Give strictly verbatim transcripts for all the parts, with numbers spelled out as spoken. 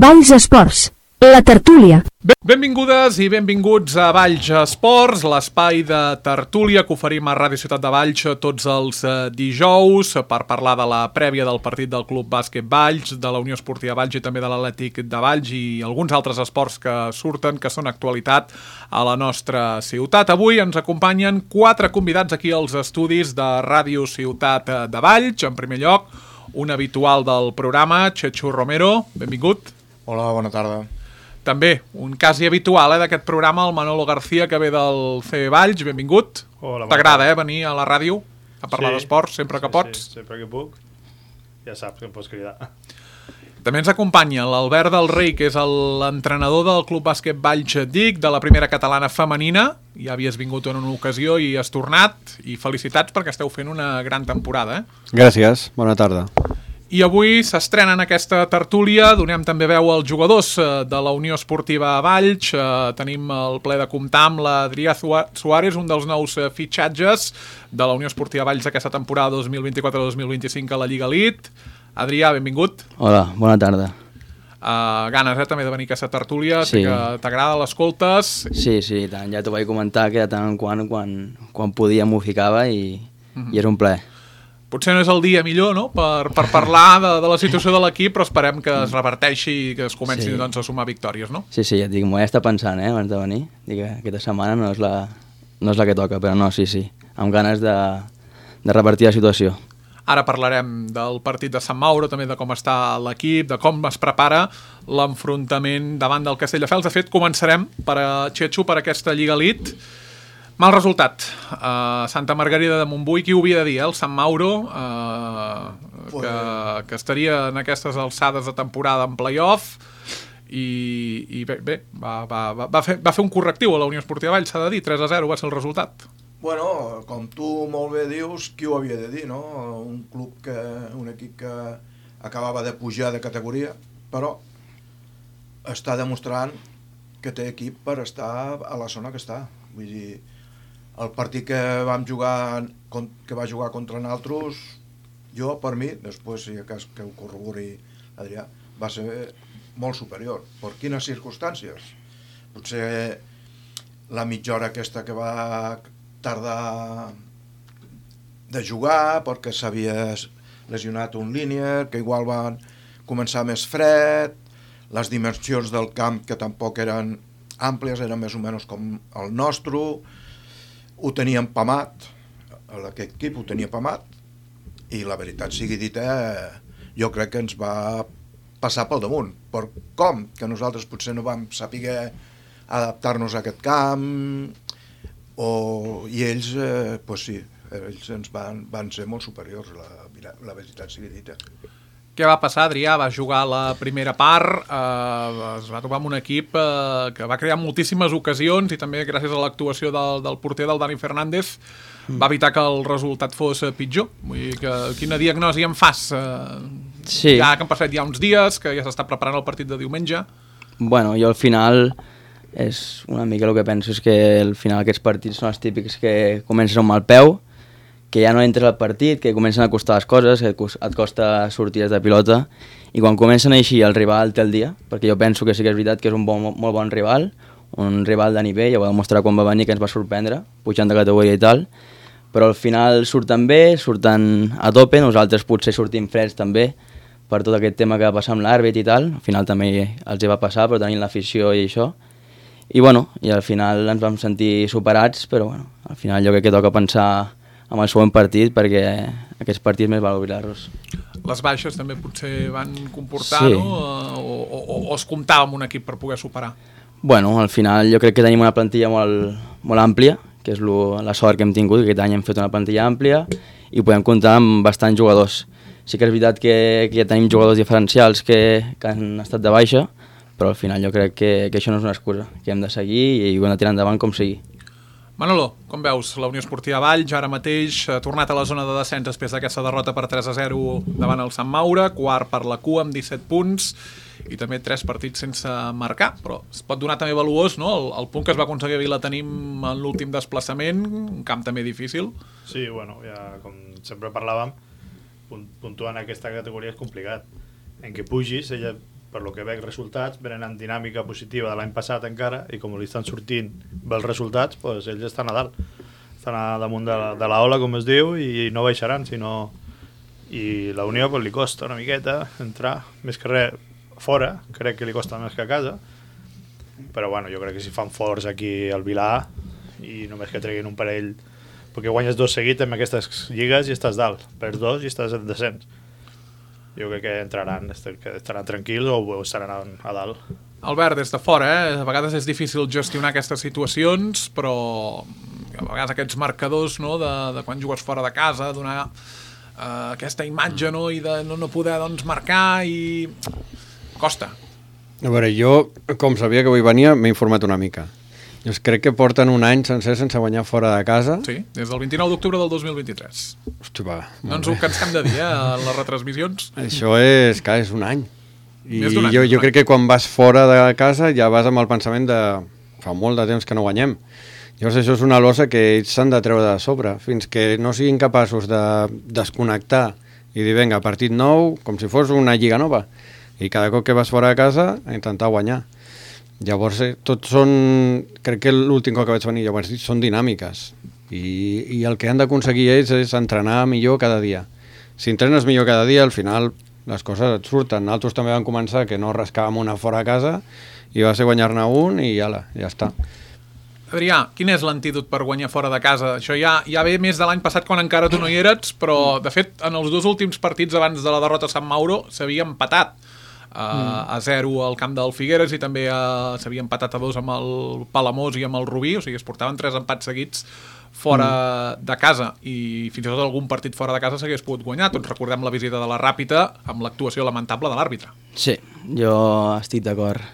Valls Esports, la tertúlia. Benvingudes i benvinguts a Valls Esports, l'espai de tertúlia que oferim a Ràdio Ciutat de Valls tots els dijous per parlar de la prèvia del partit del Club Bàsquet Valls, de la Unió Esportiva Valls i també de l'Atlètic de Valls i alguns altres esports que surten, que són actualitat a la nostra ciutat. Avui ens acompanyen quatre convidats aquí als estudis de Ràdio Ciutat de Valls. En primer lloc, un habitual del programa, Chechu Romero, benvingut. Hola, bona tarda. També, un quasi habitual eh, d'aquest programa, el Manolo García, que ve del C B Valls, benvingut. Hola, t'agrada eh, venir a la ràdio a parlar sí, d'esports sempre que sí, pots? Sí, sempre que puc, ja saps que em pots cridar. També ens acompanya l'Albert del Rei, que és l'entrenador del Club Bàsquet Valls D I C, de la primera catalana femenina. Ja havies vingut en una ocasió i has tornat, i felicitats perquè esteu fent una gran temporada. Eh? Gràcies, bona tarda. I avui s'estrena en aquesta tertúlia, donem també veu als jugadors de la Unió Esportiva Valls. Tenim el ple de comptar amb l'Adrià Suárez, un dels nous fitxatges de la Unió Esportiva Valls aquesta temporada dos mil vint-i-quatre dos mil vint-i-cinc a la Lliga Elite. Adrià, benvingut. Hola, bona tarda. Uh, ganes, eh, també de venir a aquesta tertúlia, sí. Que t'agrada, l'escoltes. Sí, sí, tant. Ja t'ho vaig comentar que de tant en quant, quan, quan podia m'ho ficava i, mm-hmm. i és un plaer. Potser no és el dia millor, no?, per, per parlar de, de la situació de l'equip, però esperem que es reverteixi i que es comenci sí. doncs, a sumar victòries, no? Sí, sí, ja et dic, m'ho he estat pensant, eh, abans de venir. Dic que aquesta setmana no és, la, no és la que toca, però no, sí, sí, amb ganes de, de revertir la situació. Ara parlarem del partit de Sant Mauro, també de com està l'equip, de com es prepara l'enfrontament davant del Castelldefels. De fet, començarem per a Chechu, per aquesta Lliga Elite. Mal resultat. Uh, Santa Margarida de Montbui, qui ho havia de dir, eh? El Sant Mauro, uh, que, que estaria en aquestes alçades de temporada en play-off, i, i bé, bé va, va, va, fer, va fer un correctiu a la Unió Esportiva Valls, s'ha de dir, tres a zero va ser el resultat. Bueno, com tu molt bé dius, qui ho havia de dir, no? Un club que, un equip que acabava de pujar de categoria, però està demostrant que té equip per estar a la zona que està. Vull dir, el partit que vam jugar, que va jugar contra nosaltres, jo, per mi, després, si cas que ho corrobori Adrià, va ser molt superior. Per quines circumstàncies? Potser la mitja hora aquesta que va tardar de jugar, perquè s'havia lesionat un línier, que igual van començar més fred, les dimensions del camp que tampoc eren àmplies, eren més o menys com el nostre, ho teníem pamat, aquest equip ho tenia pamat, i la veritat sigui dita, jo crec que ens va passar pel damunt. Per com? Que nosaltres potser no vam saber adaptar-nos a aquest camp, o, i ells, eh, pues sí, ells ens van, van ser molt superiors, la, la veritat sigui dita. Què va passar, Adrià? Va jugar la primera part, eh, es va trobar amb un equip eh, que va crear moltíssimes ocasions i també gràcies a l'actuació del, del porter del Dani Fernández mm. va evitar que el resultat fos pitjor. Vull dir que quina diagnosi en fas? Eh, sí. Ja que han passat ja uns dies, que ja s'està preparant el partit de diumenge. Bueno, jo al final és una mica el que penso és que al final aquests partits són els típics que comences amb mal peu, que ja no entres al partit, que comencen a costar les coses, que et costa sortides de pilota, i quan comencen així el rival té el dia, perquè jo penso que sí que és veritat que és un bon, molt bon rival, un rival de nivell, ja ho va demostrar quan va venir, que ens va sorprendre, pujant de categoria i tal, però al final surten bé, surten a tope, nosaltres potser sortim freds també, per tot aquest tema que va passar amb l'àrbit i tal, al final també els hi va passar, però tenint l'afició i això, i bueno, i al final ens vam sentir superats, però bueno, al final jo crec que toca pensar amb el següent partit, perquè aquests partits més val oblidar-los. Les baixes també potser van comportar, sí. No? O, o, o es comptava amb un equip per poder superar? Bueno, al final jo crec que tenim una plantilla molt, molt àmplia, que és lo, la sort que hem tingut, que aquest any hem fet una plantilla àmplia i podem comptar amb bastants jugadors. Sí que és veritat que, que ja tenim jugadors diferencials que, que han estat de baixa, però al final jo crec que, que això no és una excusa, que hem de seguir i ho hem de tirar endavant com sigui. Manolo, com veus, la Unió Esportiva Valls ara mateix ha tornat a la zona de descens després d'aquesta derrota per tres a zero davant el Sant Maure, quart per la cua amb disset punts i també tres partits sense marcar, però es pot donar també valuós, no? El, el punt que es va aconseguir a Vilatenim en l'últim desplaçament, un camp també difícil. Sí, bueno, ja com sempre parlàvem, puntuar en aquesta categoria és complicat. En què pugis, ella per lo que veig resultats, venen en dinàmica positiva de l'any passat encara, i com li estan sortint bels resultats, pues ells estan a dalt. Estan a damunt de la, de la ola, com es diu, i no baixaran, sinó... I la Unió pues, li costa una miqueta entrar, més que res fora, crec que li costa més que a casa, però bueno, jo crec que si fan forts aquí al Vilà, i només que treguin un parell, perquè guanyes dos seguits en aquestes lligues i estàs dalt, perds dos i estàs en descens. Jo crec que entraran, que estaran tranquils o estaran a dalt. Albert, des de fora, eh? A vegades és difícil gestionar aquestes situacions, però a vegades aquests marcadors, no?, de, de quan jugues fora de casa, donar uh, aquesta imatge, no?, i de no, no poder doncs, marcar, i costa. A veure, jo, com sabia que avui venia, m'he informat una mica. Jo crec que porten un any sencer sense guanyar fora de casa. Sí, des del vint-i-nou d'octubre del dos mil vint-i-tres. Hosti, va. No ens ho cansem de dir, eh, en les retransmissions. Això és, clar, és un any. I Més d'un any, jo, jo un crec que quan vas fora de casa ja vas amb el pensament de fa molt de temps que no guanyem. Llavors això és una losa que ells s'han de treure de sobre, fins que no siguin capaços de desconnectar i dir, vinga, partit nou, com si fos una lliga nova. I cada cop que vas fora de casa, a intentar guanyar. Llavors, eh, tots són... Crec que l'últim cop que vaig venir, llavors, són dinàmiques. I, i el que han d'aconseguir ells és entrenar millor cada dia. Si entrenes millor cada dia, al final les coses et surten. Nosaltres també vam començar que no rascàvem una fora a casa i va ser guanyar-ne un i ala, ja està. Adrià, quin és l'antídot per guanyar fora de casa? Això ja, ja ve més de l'any passat quan encara tu no hi eres, però de fet en els dos últims partits abans de la derrota a Sant Mauro s'havia empatat. Uh, mm. a zero al camp del Figueres i també uh, s'havia empatat a dos amb el Palamós i amb el Rubí, o sigui, es portaven tres empats seguits fora mm. de casa, i fins i tot algun partit fora de casa s'hagués pogut guanyar. Tots recordem la visita de la Ràpita amb l'actuació lamentable de l'àrbitre. Sí, jo estic d'acord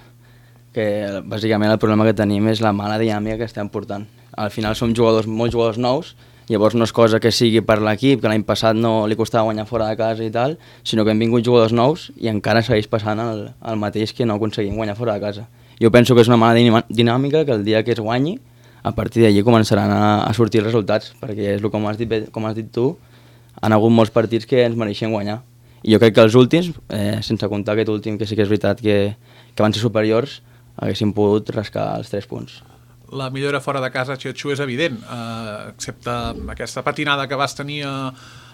que bàsicament el problema que tenim és la mala dinàmica que estem portant. Al final som jugadors, molts jugadors nous. Llavors no és cosa que sigui per l'equip, que l'any passat no li costava guanyar fora de casa i tal, sinó que hem vingut jugadors nous i encara segueix passant el, el mateix que no aconseguim guanyar fora de casa. Jo penso que és una mala dinàmica que el dia que es guanyi, a partir d'allí començaran a, a sortir els resultats, perquè és el com has dit, com has dit tu, han hagut molts partits que ens mereixen guanyar. I jo crec que els últims, eh, sense comptar aquest últim, que sí que és veritat que, que van ser superiors, haguéssim pogut rascar els tres punts. La millora fora de casa, Xetxu, és evident, eh, excepte aquesta patinada que vas tenir a,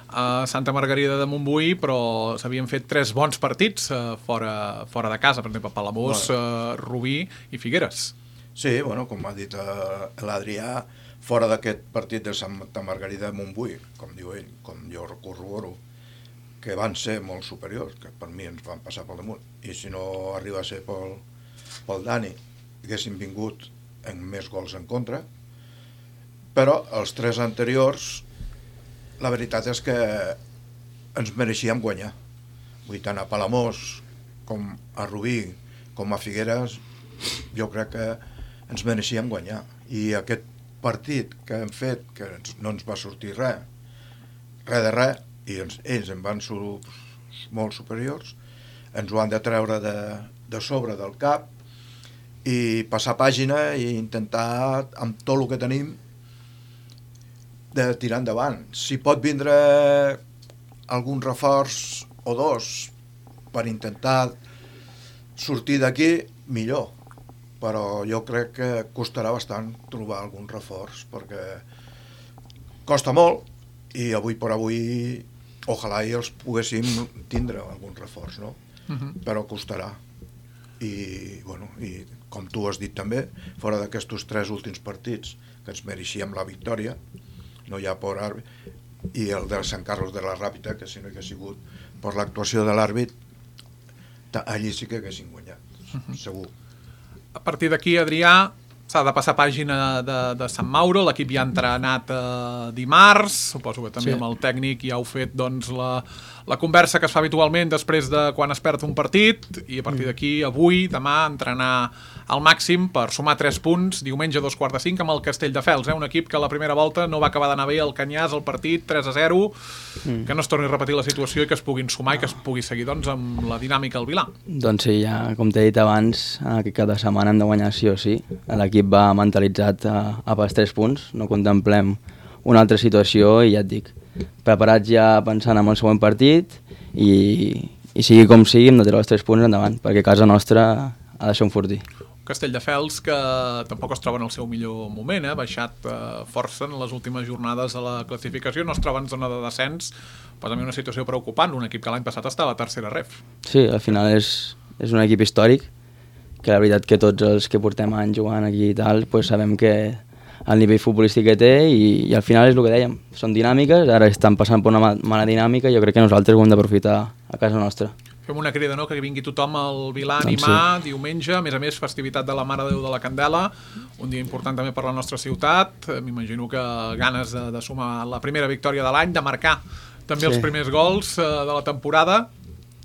a Santa Margarida de Montbui, però s'havien fet tres bons partits eh, fora, fora de casa, per exemple, Palamós, bueno. eh, Rubí i Figueres. Sí, bueno, com ha dit eh, l'Adrià, fora d'aquest partit de Santa Margarida de Montbui, com diu ell, com jo corroboro, que van ser molt superiors, que per mi ens van passar pel damunt, i si no arriba a ser pel, pel Dani, haguessin vingut en més gols en contra, però els tres anteriors la veritat és que ens mereixíem guanyar. Vull tant a Palamós com a Rubí com a Figueres jo crec que ens mereixíem guanyar, i aquest partit que hem fet, que no ens va sortir res res de res, i ens, ells en van ser molt superiors, ens ho han de treure de, de sobre del cap i passar pàgina i intentar, amb tot el que tenim, de tirar endavant. Si pot vindre algun reforç o dos per intentar sortir d'aquí, millor. Però jo crec que costarà bastant trobar algun reforç, perquè costa molt, i avui per avui ojalà i els poguéssim tindre algun reforç, no? Uh-huh. Però costarà. I, bueno, i com tu has dit també, fora d'aquests tres últims partits que ens mereixíem la victòria, no hi ha por àrbit, i el de Sant Carlos de la Ràpita, que si no hi hagués sigut per l'actuació de l'àrbit, allí sí que haguessin guanyat, uh-huh. segur. A partir d'aquí, Adrià, s'ha de passar pàgina de, de Sant Mauro, l'equip ja ha entrenat eh, dimarts, suposo que també sí. Amb el tècnic ja heu fet doncs, la, la conversa que es fa habitualment després de quan es perd un partit, i a partir d'aquí, avui, demà, entrenar al màxim per sumar tres punts, diumenge a dos quarts de cinc amb el Castelldefels, eh? Un equip que a la primera volta no va acabar d'anar bé al Canyars, el partit tres a zero, mm. que no es torni a repetir la situació i que es puguin sumar i que es pugui seguir doncs, amb la dinàmica al Vilà. Doncs sí, ja, com t'he dit abans, aquest cada setmana hem de guanyar sí o sí. L'equip va mentalitzat a, a pels tres punts, no contemplem una altra situació i ja et dic, preparats ja pensant en el següent partit i, i sigui com sigui hem de treure els tres punts endavant, perquè casa nostra ha de ser un fortí. Castelldefels, que tampoc es troba en el seu millor moment, ha eh? baixat eh, força en les últimes jornades de la classificació, no es troba en zona de descens, però també una situació preocupant, un equip que l'any passat estava a la tercera ref. Sí, al final és, és un equip històric, que la veritat que tots els que portem anys jugant aquí i tal, pues sabem que el nivell futbolístic que té i, i al final és el que dèiem, són dinàmiques, ara estan passant per una mala dinàmica i jo crec que nosaltres ho hem d'aprofitar a casa nostra. Fem una crida, no?, que vingui tothom al Vilà a animar, doncs sí. Diumenge, a més a més, festivitat de la Mare de Déu de la Candela, un dia important també per la nostra ciutat, m'imagino que ganes de, de sumar la primera victòria de l'any, de marcar també sí. els primers gols eh, de la temporada.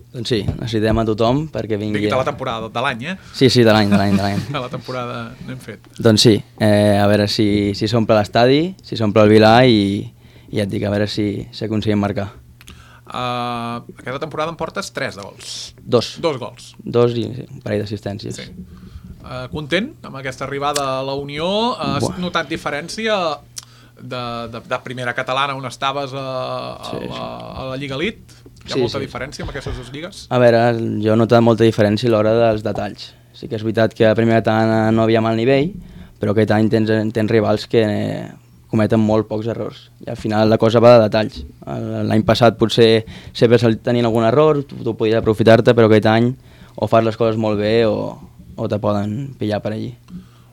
Doncs sí, necessitem a tothom perquè vingui... Digui de la temporada, de l'any, eh? Sí, sí, de l'any, de l'any, de l'any. De la temporada n'hem fet. Doncs sí, eh, a veure si, si s'omple l'estadi, si s'omple el Vilà i, i ja et dic, a veure si, si aconseguim marcar. Uh, aquesta temporada en portes tres de gols. Dos. Dos gols. Dos i sí, un parell d'assistències. Sí. Uh, content amb aquesta arribada a la Unió? Uh, has Buah. notat diferència de, de, de primera catalana on estaves a, a, sí, la, sí. a la Lliga Elite? Hi ha sí, molta sí. diferència amb aquestes dues lligues? A veure, jo he notat molta diferència a l'hora dels detalls. Sí que és veritat que a primera catalana no havia mal nivell, però aquest any tens, tens rivals que cometen molt pocs errors i al final la cosa va de detalls. L'any passat potser sempre tenien algun error, tu, tu podies aprofitar-te, però aquest any o fas les coses molt bé o, o te poden pillar per allí.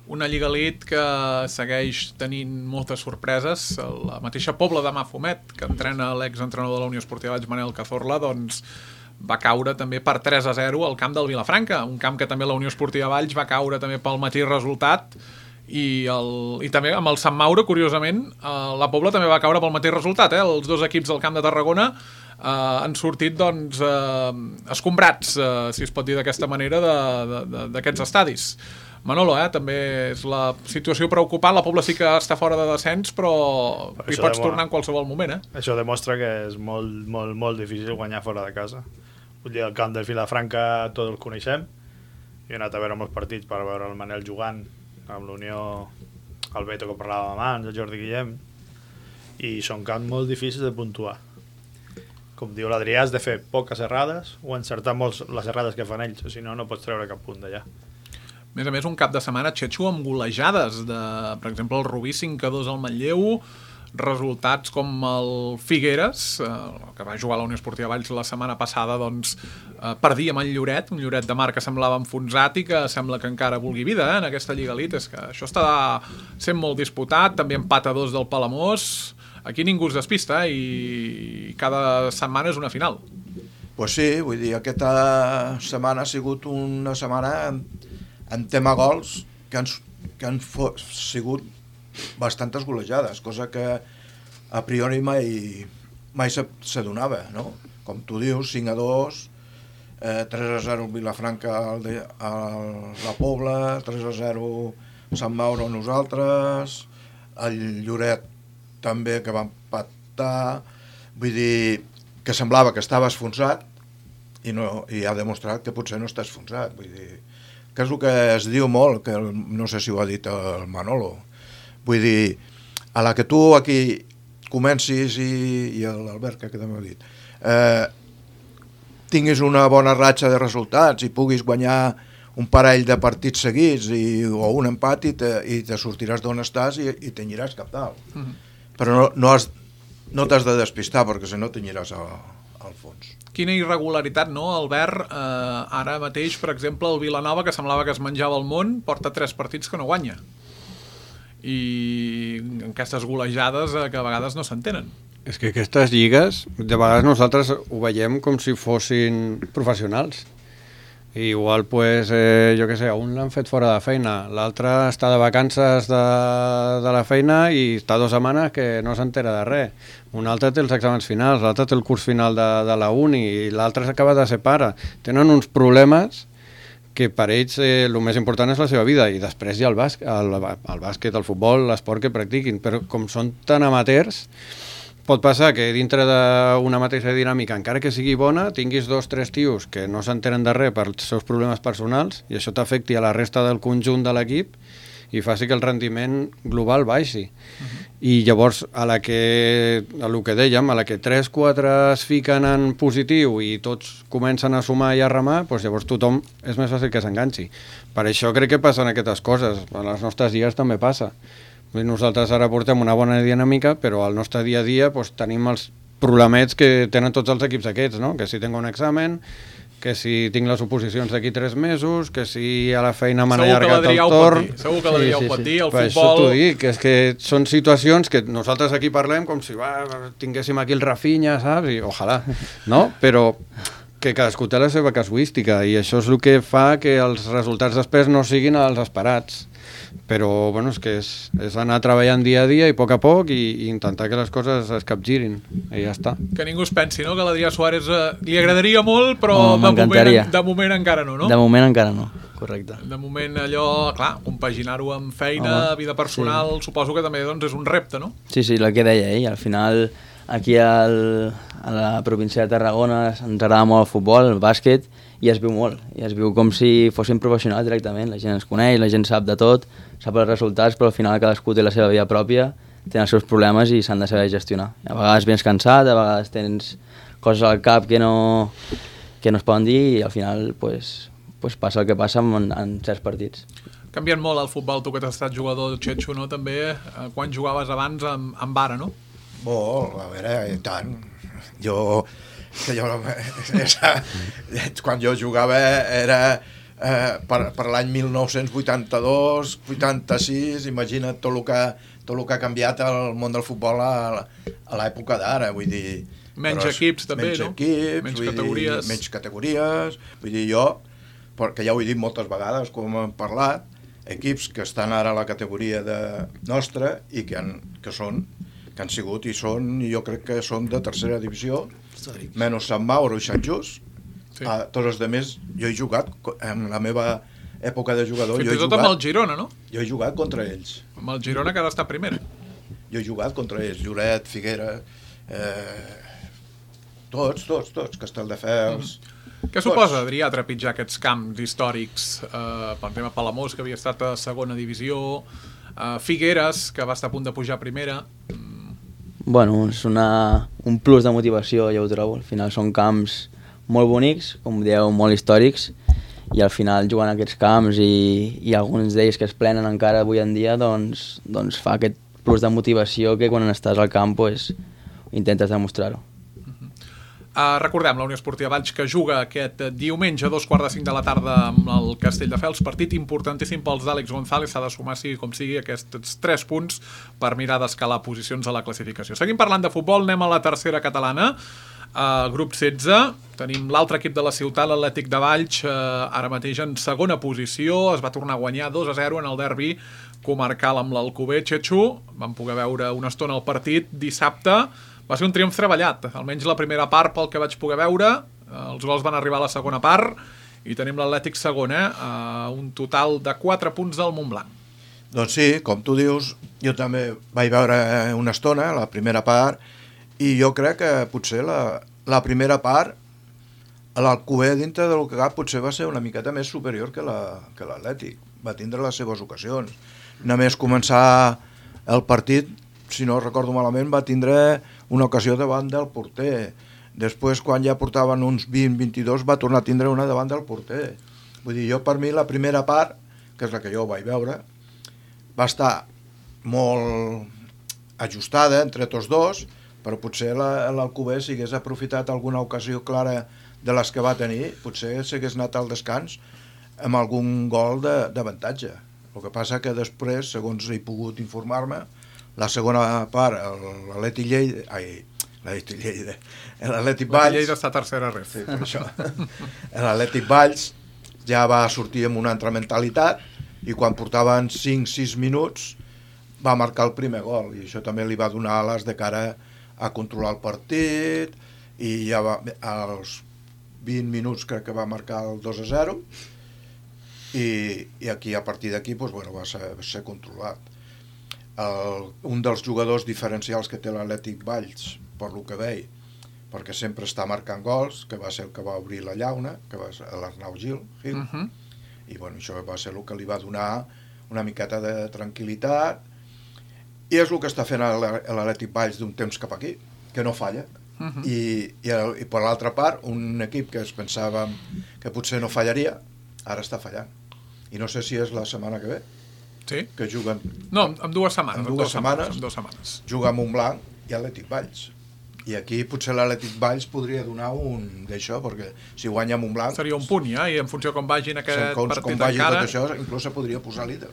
Una Lliga Elite que segueix tenint moltes sorpreses. La mateixa Pobla de Mafumet, que entrena l'exentrenador de la Unió Esportiva Valls, Manel Cazorla, doncs va caure també per tres a zero al camp del Vilafranca, un camp que també la Unió Esportiva Valls va caure també pel mateix resultat. I, el, i també amb el Sant Mauro, curiosament, eh, la Pobla també va caure pel mateix resultat, eh? Els dos equips del Camp de Tarragona eh, han sortit doncs, eh, escombrats, eh, si es pot dir d'aquesta manera, d'aquests estadis. Manolo, eh, també és la situació preocupant, la Pobla sí que està fora de descens, però hi pots demostra, tornar en qualsevol moment. Eh? Això demostra que és molt, molt, molt difícil guanyar fora de casa. Vull dir, el camp del Vilafranca tots el coneixem, jo he anat a veure molts partits per veure el Manel jugant, amb l'Unió, el Beto que parlàvem abans, el Jordi Guillem, i són camps molt difícils de puntuar. Com diu l'Adrià, has de fer poques errades o encertar molts les errades que fan ells, o si no, no pots treure cap punt d'allà. A més a més, un cap de setmana xetxo amb golejades, de, per exemple, el Rubí cinc a dos al Manlleu, resultats com el Figueres, eh, que va jugar a la Unió Esportiva Valls la setmana passada, doncs eh, perdia amb el Lloret, un Lloret de mar que semblava enfonsat i que sembla que encara vulgui vida eh, en aquesta Lliga Elite. És que això està sent molt disputat, també empat a dos del Palamós, aquí ningú es despista eh, i cada setmana és una final. Pues sí, vull dir, aquesta setmana ha sigut una setmana en, en tema gols que han, que han fo- sigut bastantes golejades, cosa que a priori mai, mai s'adonava, no? Com tu dius, cinc a dos, eh, tres a zero Vilafranca al de, al la Pobla, tres a zero Sant Mauro a nosaltres, el Lloret també que va empatar, vull dir que semblava que estava esfonsat i, no, i ha demostrat que potser no està esfonsat, vull dir que és el que es diu molt, que el, no sé si ho ha dit el Manolo. Vull dir, a la que tu aquí comencis i, i l'Albert, que també ho ha dit, eh, tinguis una bona ratxa de resultats i puguis guanyar un parell de partits seguits i, o un empat i te, i te sortiràs d'on estàs i, i t'anyiràs cap dalt. Mm-hmm. Però no, no, has, no t'has de despistar perquè si no t'anyiràs al, al fons. Quina irregularitat, no, Albert? Eh, ara mateix, per exemple, el Vilanova, que semblava que es menjava el món, porta tres partits que no guanya. I aquestes golejades eh, que a vegades no s'entenen. És que aquestes lligues, de vegades nosaltres ho veiem com si fossin professionals. I igual, pues, eh, jo què sé, un l'han fet fora de feina, l'altre està de vacances de, de la feina i està dues setmanes que no s'entera de res. Un altre té els exàmens finals, l'altre té el curs final de, de la uni i l'altre s'acaba de ser pare. Tenen uns problemes que per ells eh, el més important és la seva vida i després hi ha el, bàs el, el bàsquet, el futbol, l'esport que practiquin, però com són tan amateurs pot passar que dintre d'una mateixa dinàmica, encara que sigui bona, tinguis dos, tres tios que no s'entenen de res pels seus problemes personals i això t'afecti a la resta del conjunt de l'equip i faci que el rendiment global baixi. Uh-huh. I llavors, a la que, a lo que dèiem, a la que tres quatre es fiquen en positiu i tots comencen a sumar i a remar, doncs llavors tothom és més fàcil que s'enganxi. Per això crec que passen aquestes coses. A les nostres lligues també passa. Nosaltres ara portem una bona dinàmica, però al nostre dia a dia doncs, tenim els problemets que tenen tots els equips aquests, no? Que si tinc un examen, que si tinc les oposicions d'aquí tres mesos, que si a la feina m'han allargat el torn... Segur que l'Adrià ho pot dir, el per futbol... això t'ho dic, que és que són situacions que nosaltres aquí parlem com si va, tinguéssim aquí el Rafinha, saps? I ojalà, no? Però que cadascú té la seva casuística i això és el que fa que els resultats després no siguin els esperats. Però bueno, és que és, és anar treballant dia a dia i a poc a poc i, i intentar que les coses es capgirin i ja està. Que ningú es pensi, no?, que l'Adrià Suárez eh, li agradaria molt, però oh, de, moment, de moment encara no, no? De moment encara no, correcte. De moment allò, clar, compaginar-ho amb feina, Home, vida personal, sí. Suposo que també doncs, és un repte, no? Sí, sí, el que deia ell, al final aquí al, a la província de Tarragona ens agrada molt el futbol, el bàsquet, i es viu molt, i es viu com si fóssim professionals directament, la gent ens coneix, la gent sap de tot, sap els resultats, però al final cadascú té la seva vida pròpia, té els seus problemes i s'han de saber gestionar. A vegades vens cansat, a vegades tens coses al cap que no, que no es poden dir i al final pues, pues passa el que passa en, en certs partits. Canviant molt el futbol, tu que t'has estat jugador, Txetxo, no? També, eh, quan jugaves abans amb, amb vara, no? Molt, a veure, i tant. Jo... que jo esa, quan jo jugava era eh, per, per l'any mil nou-cents vuitanta-dos vuitanta-sis, imagina't tot el que, tot el que ha canviat el món del futbol a, a l'època d'ara, vull dir... Menys però, equips també, menys no? Equips, menys categories. Dir, menys categories, vull dir, jo, perquè ja ho he dit moltes vegades, com hem parlat, equips que estan ara a la categoria de nostra i que, han, que són que han sigut i són, jo crec que són de tercera divisió, menys Sant Mauro i Sant Just. Sí. A tots els altres, jo he jugat en la meva època de jugador. Fins i tot amb el Girona, no? Jo he jugat contra ells. Amb el Girona que ha d'estar primera. Jo he jugat contra ells, Lloret, Figuera, eh, tots, tots, tots, Castelldefels... Mm. Què suposa, Adrià, trepitjar aquests camps històrics? Eh, per exemple, Palamós, que havia estat a segona divisió, eh, Figueres, que va estar a punt de pujar a primera... Bueno, és una, un plus de motivació, ja ho trobo. Al final són camps molt bonics, com dieu, molt històrics, i al final jugant a aquests camps i, i alguns d'ells que es plenen encara avui en dia, doncs, doncs fa aquest plus de motivació que quan estàs al camp pues, intentes demostrar-ho. Uh, recordem, la Unió Esportiva Valls que juga aquest diumenge a dos quarts de cinc de la tarda amb el Castelldefels, partit importantíssim pels d'Àlex González, s'ha de sumar sigui com sigui aquests tres punts per mirar d'escalar posicions a la classificació. Seguim parlant de futbol, anem a la tercera catalana, uh, grup setze, tenim l'altre equip de la ciutat, l'Atlètic de Valls, uh, ara mateix en segona posició, es va tornar a guanyar dos a zero en el derbi comarcal amb l'Alcover. Txetxo, vam poder veure una estona el partit dissabte. Va ser un triomf treballat, almenys la primera part pel que vaig poder veure, els gols van arribar a la segona part i tenim l'Atlètic segon, eh? Uh, un total de quatre punts del Montblanc. Doncs sí, com tu dius, jo també vaig veure una estona, la primera part, i jo crec que potser la, la primera part, l'Alcover dintre del que cap potser va ser una miqueta més superior que l'Atlètic, va tindre les seves ocasions. Només començar el partit, si no recordo malament, va tindre una ocasió davant del porter. Després, quan ja portaven uns vint vint-i-dos, va tornar a tindre una davant del porter. Vull dir, jo per mi la primera part, que és la que jo vaig veure, va estar molt ajustada entre tots dos, però potser l'Alcover, si hagués aprofitat alguna ocasió clara de les que va tenir, potser s'hagués anat al descans amb algun gol d'avantatge. El que passa que després, segons he pogut informar-me, la segona part, l'Atlètic Lleida, ai, l'Atlètic Lleida, l'Atlètic Valls... Lleida està tercera res. Sí, per això. L'Atlètic Valls ja va sortir amb una altra mentalitat i quan portaven cinc sis minuts va marcar el primer gol i això també li va donar ales de cara a controlar el partit i ja va, als vint minuts crec que va marcar el dos a zero i, i aquí a partir d'aquí doncs, bueno, va ser, va ser controlat. El, un dels jugadors diferencials que té l'Atlètic Valls, per lo que veig, perquè sempre està marcant gols, que va ser el que va obrir la llauna, que va ser l'Arnau Gil, Gil. Uh-huh. I bueno, això va ser el que li va donar una miqueta de tranquil·litat, i és el que està fent l'Atlètic Valls d'un temps cap aquí, que no falla. Uh -huh. I, i, i per l'altra part, un equip que es pensava que potser no fallaria, ara està fallant. I no sé si és la setmana que ve, sí? que juguen... No, en dues setmanes. En dues, en dues setmanes, setmanes, en dues setmanes. Juga Montblanc i Atlètic Valls. I aquí potser l'Atlètic Valls podria donar un d'això, perquè si guanya Montblanc... Seria un punt, ja, i en funció com vagin aquest com, partit com vagi encara... tot això, inclús se podria posar líder.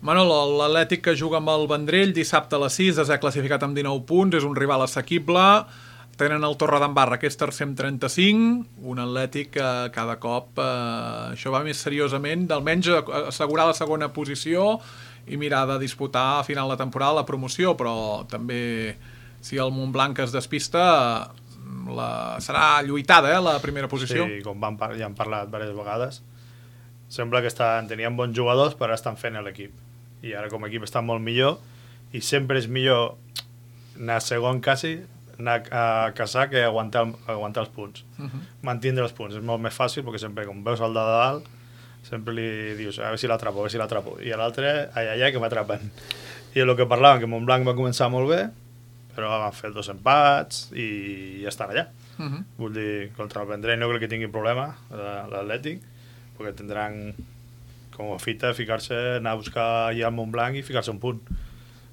Manolo, l'Atlètic que juga amb el Vendrell dissabte a les sis, es ha classificat amb dinou punts, és un rival assequible, tenen el Torredembarra, que és tercer amb trenta-cinc, un Atlètic que cada cop eh, això va més seriosament, d'almenys assegurar la segona posició i mirar de disputar a final de temporada la promoció, però també si el Montblanc es despista la, serà lluitada, eh, la primera posició. Sí, com van, ja han parlat diverses vegades, sembla que estan, tenien bons jugadors però estan fent l'equip, i ara com a equip està molt millor, i sempre és millor anar segon quasi, anar a caçar que aguantar, aguantar els punts. Uh -huh. Mantindre els punts és molt més fàcil, perquè sempre com veus el de dalt sempre li dius a veure si l'atrapo, a veure si l'atrapo, i a l'altre ai, ai, ai, que m'atrapen. I el que parlàvem, que Montblanc va començar molt bé, però van fer dos empats i ja estan allà. Uh -huh. Vull dir, contra el Vendrell no crec que tingui problema l'Atlètic, perquè tindran com a fita ficar-se, anar a buscar ja el Montblanc i ficar-se un punt.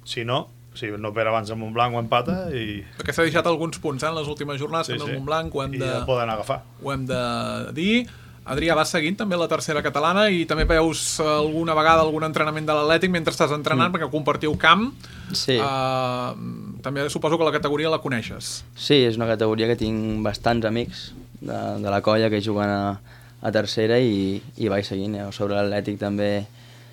Si no, si no per abans el Montblanc ho empata i... Perquè s'ha deixat alguns punts eh, en les últimes jornades, sí, en el sí. Montblanc ho hem, I de, ja poden agafar. Ho hem de dir. Adrià, vas seguint també la tercera catalana i també veus alguna vegada algun entrenament de l'Atlètic mentre estàs entrenant, mm. perquè compartiu camp. Sí. Uh, també suposo que la categoria la coneixes. Sí, és una categoria que tinc bastants amics de, de la colla que juguen a, a tercera i, i vaig seguint. Eh? Sobre l'Atlètic també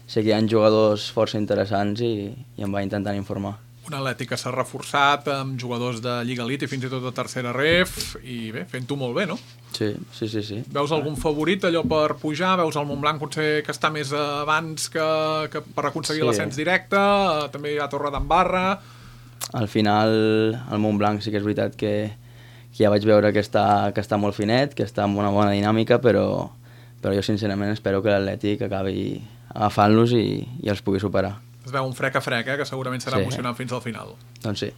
sé que hi ha jugadors força interessants i, i em va intentant informar. Un Atlètic que s'ha reforçat amb jugadors de Lliga Elite i fins i tot de tercera ref, i bé, fent-ho molt bé, no? Sí, sí, sí, sí. Veus algun favorit allò per pujar? Veus el Montblanc potser que està més abans que, que per aconseguir sí. l'ascens directe? També hi ha Torredembarra. Al final el Montblanc sí que és veritat que, que ja vaig veure que està, que està molt finet, que està amb una bona dinàmica, però, però jo sincerament espero que l'Atlètic acabi agafant-los i, i els pugui superar. Es veu un frec a frec, eh, que segurament serà sí. emocionant fins al final. Doncs sí.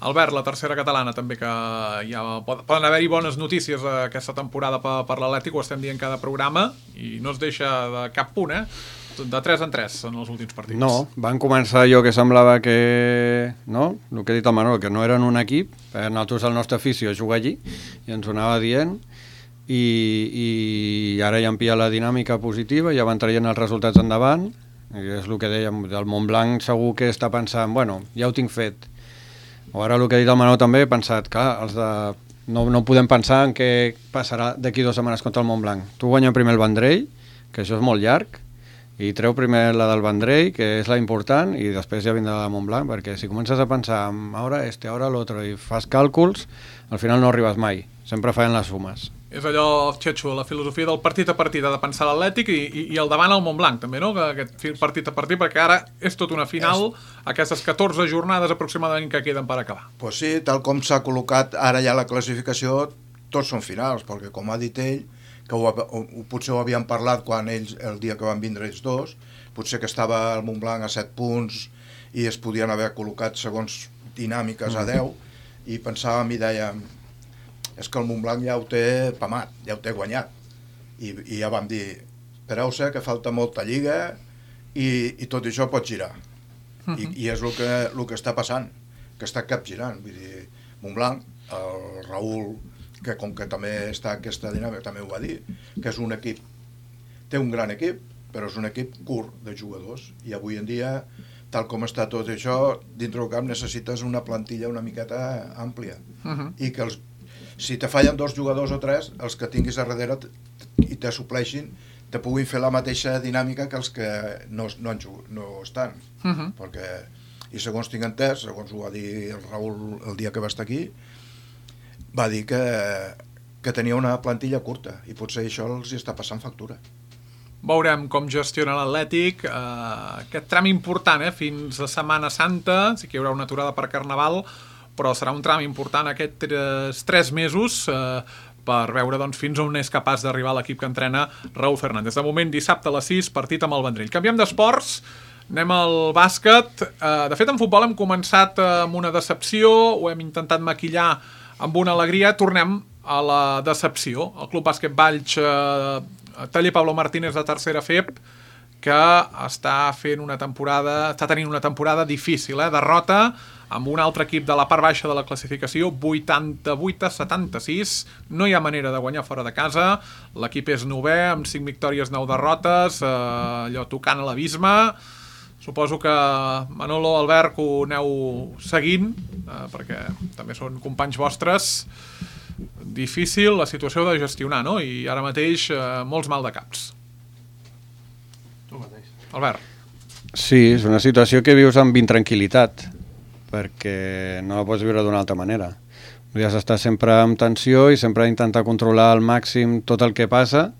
Albert, la tercera catalana també, que ja poden haver-hi bones notícies aquesta temporada per, per l'Atlètic, ho estem dient cada programa, i no es deixa de cap punt, eh? De tres en tres en els últims partits. No, van començar allò que semblava que... No? El que ha dit el Manolo, que no eren un equip, nosaltres el nostre afició juga allí, i ens ho anava dient, i, i ara ja han pillat la dinàmica positiva, ja van traient els resultats endavant, i és el que dèiem, del Montblanc segur que està pensant, bueno, ja ho tinc fet. O ara el que ha dit el Manolo també, he pensat, clar, els de... no, no podem pensar en què passarà d'aquí dues setmanes contra el Montblanc. Tu guanya primer el Vendrell, que això és molt llarg, i treu primer la del Vendrell, que és la important, i després ja vindrà la Montblanc, perquè si comences a pensar ara este, ara l'altre, i fas càlculs, al final no arribes mai, sempre fallen les sumes. És allò, Xetxo, la filosofia del partit a partit, de pensar l'Atlètic i, i, i el davant al Montblanc, també, no? Aquest partit a partit, perquè ara és tot una final, és... aquestes catorze jornades aproximadament que queden per acabar. Pues sí, tal com s'ha col·locat ara ja la classificació, tots són finals, perquè com ha dit ell, que ho, ho, potser ho havien parlat quan ells, el dia que van vindre ells dos, potser que estava el Montblanc a set punts i es podien haver col·locat segons dinàmiques a deu, i pensàvem i dèiem, és que el Montblanc ja ho té pamat, ja ho té guanyat, i, i ja vam dir, espereu-se que falta molta lliga i, i tot això pot girar. Uh-huh. I, i és el que, el que està passant, que està capgirant. Vull dir, Montblanc, el Raül, que com que també està aquesta dinàmica, també ho va dir, que és un equip, té un gran equip, però és un equip curt de jugadors, i avui en dia, tal com està tot això, dintre del camp necessites una plantilla una miqueta àmplia, uh-huh. i que els, si te fallen dos jugadors o tres, els que tinguis a darrere i te supleixin, te puguin fer la mateixa dinàmica que els que no, no, no estan. Uh-huh. Perquè, i segons tinc entès, segons ho va dir el Raül el dia que va estar aquí, va dir que, que tenia una plantilla curta, i potser això els està passant factura. Veurem com gestiona l'Atlètic, eh, aquest tram important, eh, fins a Setmana Santa, sí que hi haurà una aturada per Carnaval, però serà un tram important aquests tres mesos, eh, per veure doncs, fins on és capaç d'arribar l'equip que entrena Raúl Fernández. De moment, dissabte a les sis, partit amb el Vendrell. Canviem d'esports, anem al bàsquet. De fet, en futbol hem començat amb una decepció, ho hem intentat maquillar amb una alegria. Tornem a la decepció. El Club Bàsquet Valls, Taller Pablo Martínez de tercera F E P, que està fent una temporada, està tenint una temporada difícil, eh? Derrota amb un altre equip de la part baixa de la classificació, vuitanta-vuit a setanta-sis, no hi ha manera de guanyar fora de casa, l'equip és novè, amb cinc victòries, nou derrotes, eh, allò tocant a l'abisme. Suposo que Manolo, Albert, que ho aneu seguint, eh, perquè també són companys vostres. Difícil la situació de gestionar, no? I ara mateix eh, molts mal de caps. Tu mateix. Albert. Sí, és una situació que vius amb intranquil·litat, perquè no la pots viure d'una altra manera. Has d'estar sempre amb tensió i sempre intentar controlar al màxim tot el que passa,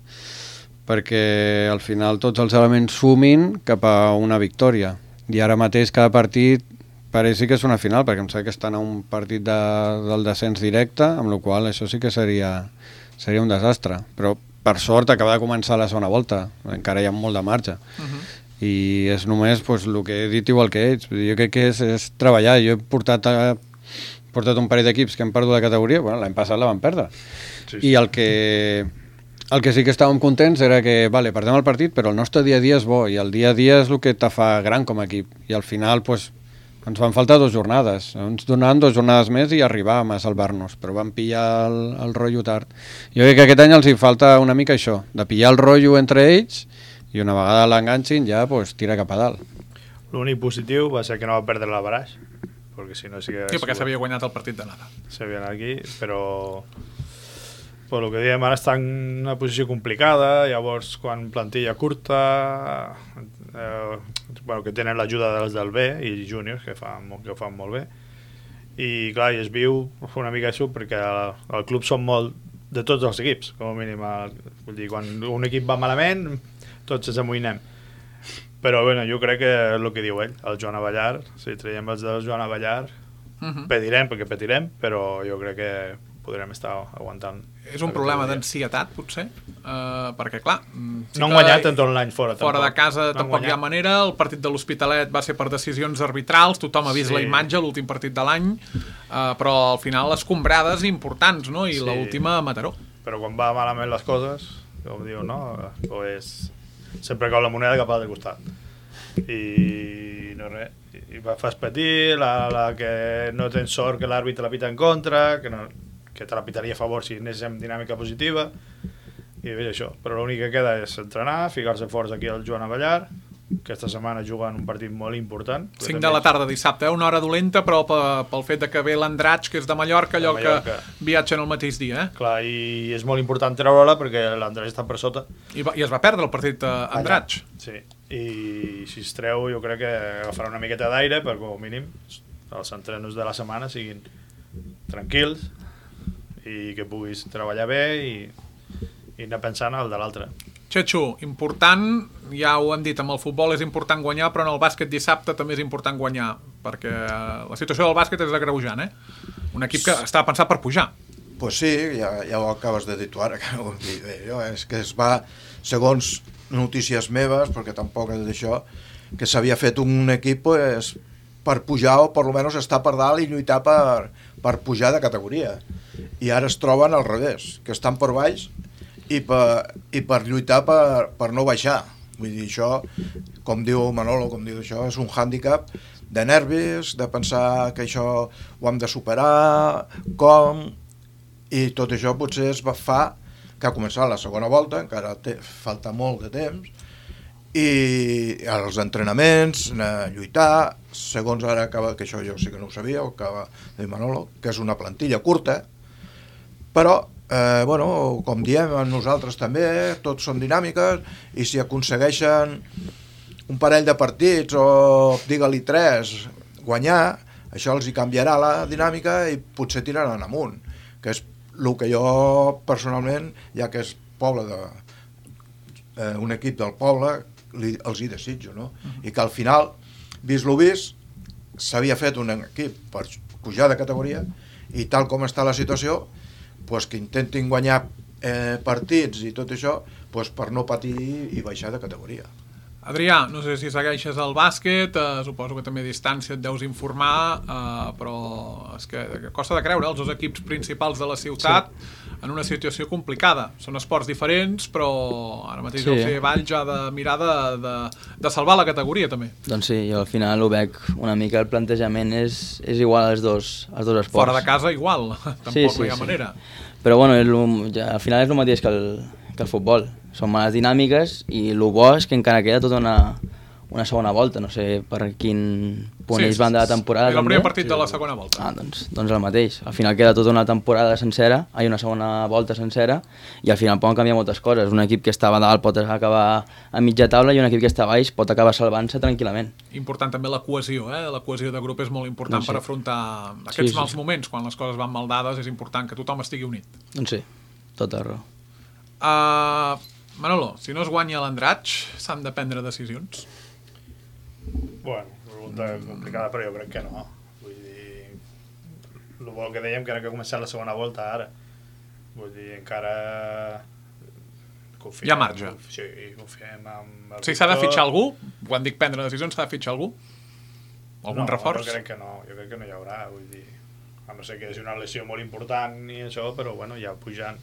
perquè al final tots els elements sumin cap a una victòria. I ara mateix cada partit pareix que és una final, perquè em sembla que estan a un partit de, del descens directe, amb la qual això sí que seria, seria un desastre. Però per sort acaba de començar la segona volta, encara hi ha molt de marge. Uh-huh. I és només pues, el que he dit igual que ells. Jo crec que és, és treballar. Jo he portat, a, portat un parell d'equips que han perdut la categoria, bueno, l'any passat la van perdre. Sí, sí. I el que, el que sí que estàvem contents era que, vale, perdem el partit, però el nostre dia a dia és bo, i el dia a dia és el que te fa gran com a equip. I al final, pues, ens van faltar dues jornades. Ens donaven dues jornades més i arribàvem a salvar-nos, però vam pillar el, el rotllo tard. Jo crec que aquest any els hi falta una mica això, de pillar el rotllo entre ells, i una vegada l'enganxin ja pues, tira cap a dalt. L'únic positiu va ser que no va perdre la baraix, perquè si no sí que... Sí, perquè s'havia guanyat el partit de nada. S'havia anat aquí, però... Però el que diem, ara està en una posició complicada, llavors quan plantilla curta, eh, bueno, que tenen l'ajuda dels del B i júniors, que fan, que ho fan molt bé, i clar, i es viu una mica això, perquè el, el club són molt de tots els equips, com a mínim. El, vull dir, quan un equip va malament, tots ens amoïnem. Però bueno, jo crec que és el que diu ell, el Joan Avellar, si traiem els del Joan Avellar, uh-huh. petirem, perquè petirem, però jo crec que podrem estar aguantant. És un problema d'ansietat, potser? Uh, perquè, clar... Sí no han guanyat en tot l'any fora. Fora tampoc. de casa no tampoc hi ha manera. El partit de l'Hospitalet va ser per decisions arbitrals, tothom ha vist sí. la imatge, l'últim partit de l'any, uh, però al final les escombrades importants, no? I sí. l'última a Mataró. Però quan va malament les coses, com diu, no? Pues sempre cau la moneda cap a l'altre costat. I no res. I fas patir, la, la que no tens sort que l'àrbitre la pita en contra, que no... que te la pitaria a favor si anés en dinàmica positiva, i bé, això. Però l'únic que queda és entrenar, ficar-se forts aquí al Joan Avellar, aquesta setmana jugant un partit molt important. cinc de la tarda dissabte, eh? Una hora dolenta, però pel fet de que ve l'Andratx, que és de Mallorca, allò de Mallorca. Que viatgen el mateix dia. Eh? Clar, i és molt important treure-la perquè l'Andratx està per sota. I, va, I es va perdre el partit Andratx. Sí, i si es treu jo crec que agafarà una miqueta d'aire, per com a mínim els entrenos de la setmana siguin tranquils, i que puguis treballar bé i, i anar pensant al de l'altre. Xetxo, important, ja ho hem dit, amb el futbol és important guanyar, però en el bàsquet dissabte també és important guanyar, perquè la situació del bàsquet és agreujant, eh? Un equip que està pensat per pujar. Pues sí, ja, ja ho acabes de dir tu ara, que ho dir bé, jo, és que es va, segons notícies meves, perquè tampoc és d'això, que s'havia fet un equip pues, per pujar o per almenys estar per dalt i lluitar per, per pujar de categoria. I ara es troben al revés, que estan per baix i per, i per lluitar per, per no baixar. Vull dir, això, com diu Manolo, com diu això, és un hàndicap de nervis, de pensar que això ho hem de superar, com... I tot això potser es va fa que ha començat la segona volta, encara té, falta molt de temps, i els entrenaments, a lluitar, segons ara acaba, que això jo sí que no ho sabia, ho acaba de dir Manolo, que és una plantilla curta, però, eh, bueno, com diem nosaltres també, tots són dinàmiques, i si aconsegueixen un parell de partits, o digue-li tres, guanyar, això els hi canviarà la dinàmica i potser tiraran amunt, que és el que jo personalment, ja que és poble de, eh, un equip del poble, li, els hi desitjo, no? I que al final, vist lo vist, s'havia fet un equip per pujar de categoria i tal com està la situació, pues, que intentin guanyar eh, partits i tot això, pues, per no patir i baixar de categoria. Adrià, no sé si segueixes el bàsquet, eh, suposo que també a distància et deus informar, eh, però és que costa de creure, els dos equips principals de la ciutat sí. en una situació complicada. Són esports diferents, però ara mateix sí. el C Valls ha de mirar de, de, de salvar la categoria també. Doncs sí, jo al final ho veig una mica, el plantejament és, és igual als dos, als dos esports. Fora de casa igual, tampoc sí, sí, no hi ha sí. manera. Però bueno, el, ja, al final és el mateix que el, que el futbol. Són males dinàmiques i el bo és que encara queda tota una, una segona volta. No sé per quin punt sí, ells van de la temporada. És el primer partit sí. de la segona volta. Ah, doncs, doncs el mateix. Al final queda tota una temporada sencera, hi ha una segona volta sencera, i al final poden canviar moltes coses. Un equip que estava dalt pot acabar a mitja taula i un equip que està a baix pot acabar salvant-se tranquil·lament. Important també la cohesió, eh? La cohesió de grup és molt important doncs sí. per afrontar aquests sí, sí. mals moments. Quan les coses van mal dades és important que tothom estigui unit. Doncs sí, tota raó. Uh, Manolo, si no es guanya l'Andratx, s'han de prendre decisions? Bueno, pregunta complicada, però jo crec que no. Vull dir, el bo que dèiem que era que ha començat la segona volta ara. Vull dir, encara... Confiem, hi ha marge. Sí, confiem en el sí, s'ha de fitxar algú? Quan dic prendre decisions, s'ha de fitxar algú? Algun no, reforç? No, jo crec que no, jo crec que no hi haurà, vull dir, a no ser que és una lesió molt important i això, però bueno, ja pujant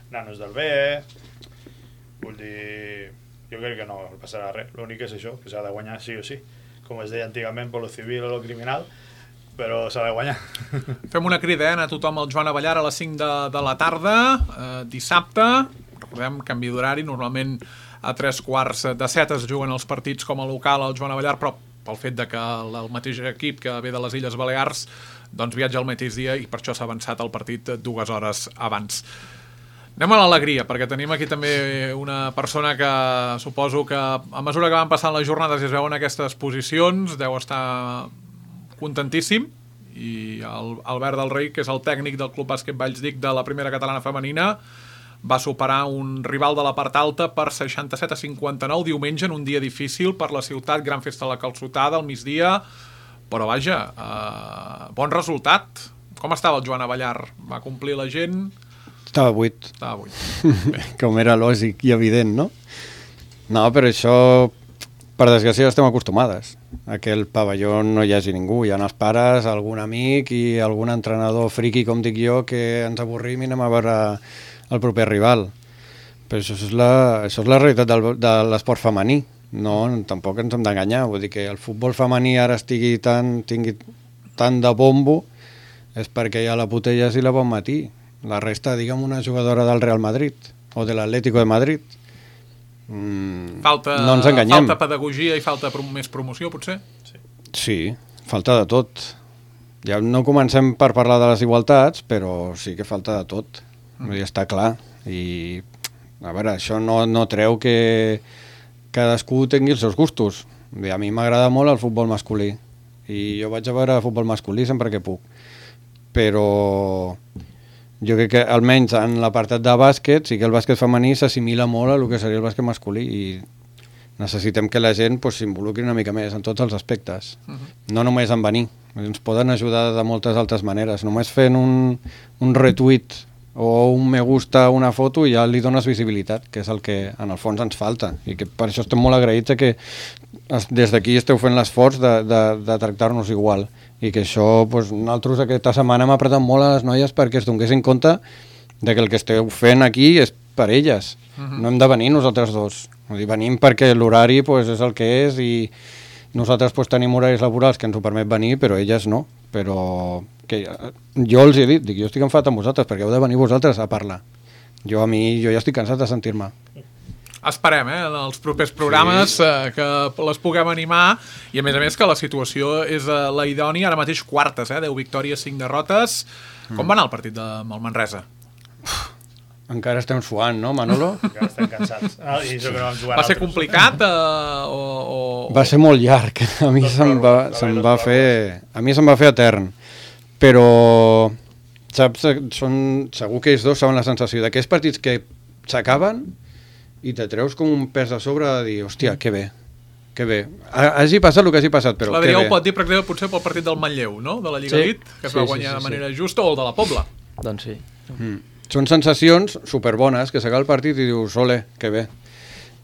nanos del B, vull dir, jo crec que no passarà res, l'únic és això, que s'ha de guanyar sí o sí, com es deia antigament per lo civil o lo criminal, però s'ha de guanyar. Fem una crida, eh, a tothom al Joan Avellar a les cinc de, de la tarda, eh, dissabte, recordem, canvi d'horari, normalment a tres quarts de set es juguen els partits com a local al Joan Avellar, però pel fet de que el, el mateix equip que ve de les Illes Balears doncs viatja al mateix dia i per això s'ha avançat el partit dues hores abans. Anem a l'alegria, perquè tenim aquí també una persona que suposo que a mesura que van passant les jornades i es veuen aquestes posicions deu estar contentíssim, i el Albert del Rei, que és el tècnic del Club Bàsquet Vallsdic de la primera catalana femenina, va superar un rival de la part alta per seixanta-set a cinquanta-nou diumenge en un dia difícil per la ciutat, gran festa a la Calçotada al migdia, però vaja, eh, bon resultat. Com estava el Joan Avellar? Va complir la gent? Estava buit. Estava buit. Com era lògic i evident, no? No, però això, per desgràcia, estem acostumades. A que el pavelló no hi hagi ningú. Hi ha els pares, algun amic i algun entrenador friqui, com dic jo, que ens avorrim i anem a veure el proper rival. Però això és la, això és la realitat del, de l'esport femení. No, tampoc ens hem d'enganyar. Vull dir que el futbol femení ara estigui tan, tingui tant de bombo és perquè hi ha la Putelles i la Bonmatí. La resta, diguem, una jugadora del Real Madrid o de l'Atlético de Madrid. Mm, falta, no ens enganyem. Falta pedagogia i falta prom més promoció, potser? Sí. sí, falta de tot. Ja no comencem per parlar de les igualtats, però sí que falta de tot. Mm. Vull dir, està clar. I, a veure, això no, no treu que cadascú tingui els seus gustos. Bé, a mi m'agrada molt el futbol masculí i jo vaig a veure futbol masculí sempre que puc. Però jo crec que almenys en l'apartat de bàsquet sí que el bàsquet femení s'assimila molt a el que seria el bàsquet masculí i necessitem que la gent pues, s'involucri una mica més en tots els aspectes. Uh-huh. No només en venir, ens poden ajudar de moltes altres maneres. Només fent un, un retweet o un me gusta a una foto i ja li dones visibilitat, que és el que en el fons ens falta. I que per això estem molt agraïts que des d'aquí esteu fent l'esforç de, de, de tractar-nos igual. I que això, doncs, nosaltres aquesta setmana hem apretat molt a les noies perquè es donessin compte de que el que esteu fent aquí és per elles. Uh-huh. No hem de venir nosaltres dos. Vull dir, venim perquè l'horari pues, és el que és i nosaltres pues, tenim horaris laborals que ens ho permet venir, però elles no. Però que jo els he dit, dic, jo estic enfadat amb vosaltres perquè heu de venir vosaltres a parlar. Jo a mi, jo ja estic cansat de sentir-me. Esperem, eh, en els propers programes sí. eh, que les puguem animar i a més a més que la situació és eh, la idònia, ara mateix quartes, eh, deu victòries, cinc derrotes. Mm. Com va anar el partit de, amb el Manresa? Uf, encara estem suant, no, Manolo? Encara estem cansats. Ah, i això que no vam jugar va ser altres. complicat eh, o, o, va ser molt llarg. A mi se'm va, se'm va fer a mi se'm va fer etern. Però saps, són, segur que ells dos saben la sensació d'aquests partits que s'acaben i te treus com un pes de sobre de dir, hòstia, que bé, que bé. Hagi passat el que hagi passat, però l'Adrià que bé. ho pot dir, per exemple, potser pel partit del Manlleu, no? De la Lliga sí. Elite, que es sí, va guanyar sí, sí, de manera sí. justa, o el de la Pobla. Doncs sí. Mm. són sensacions superbones, que s'acaba el partit i dius, ole, que bé.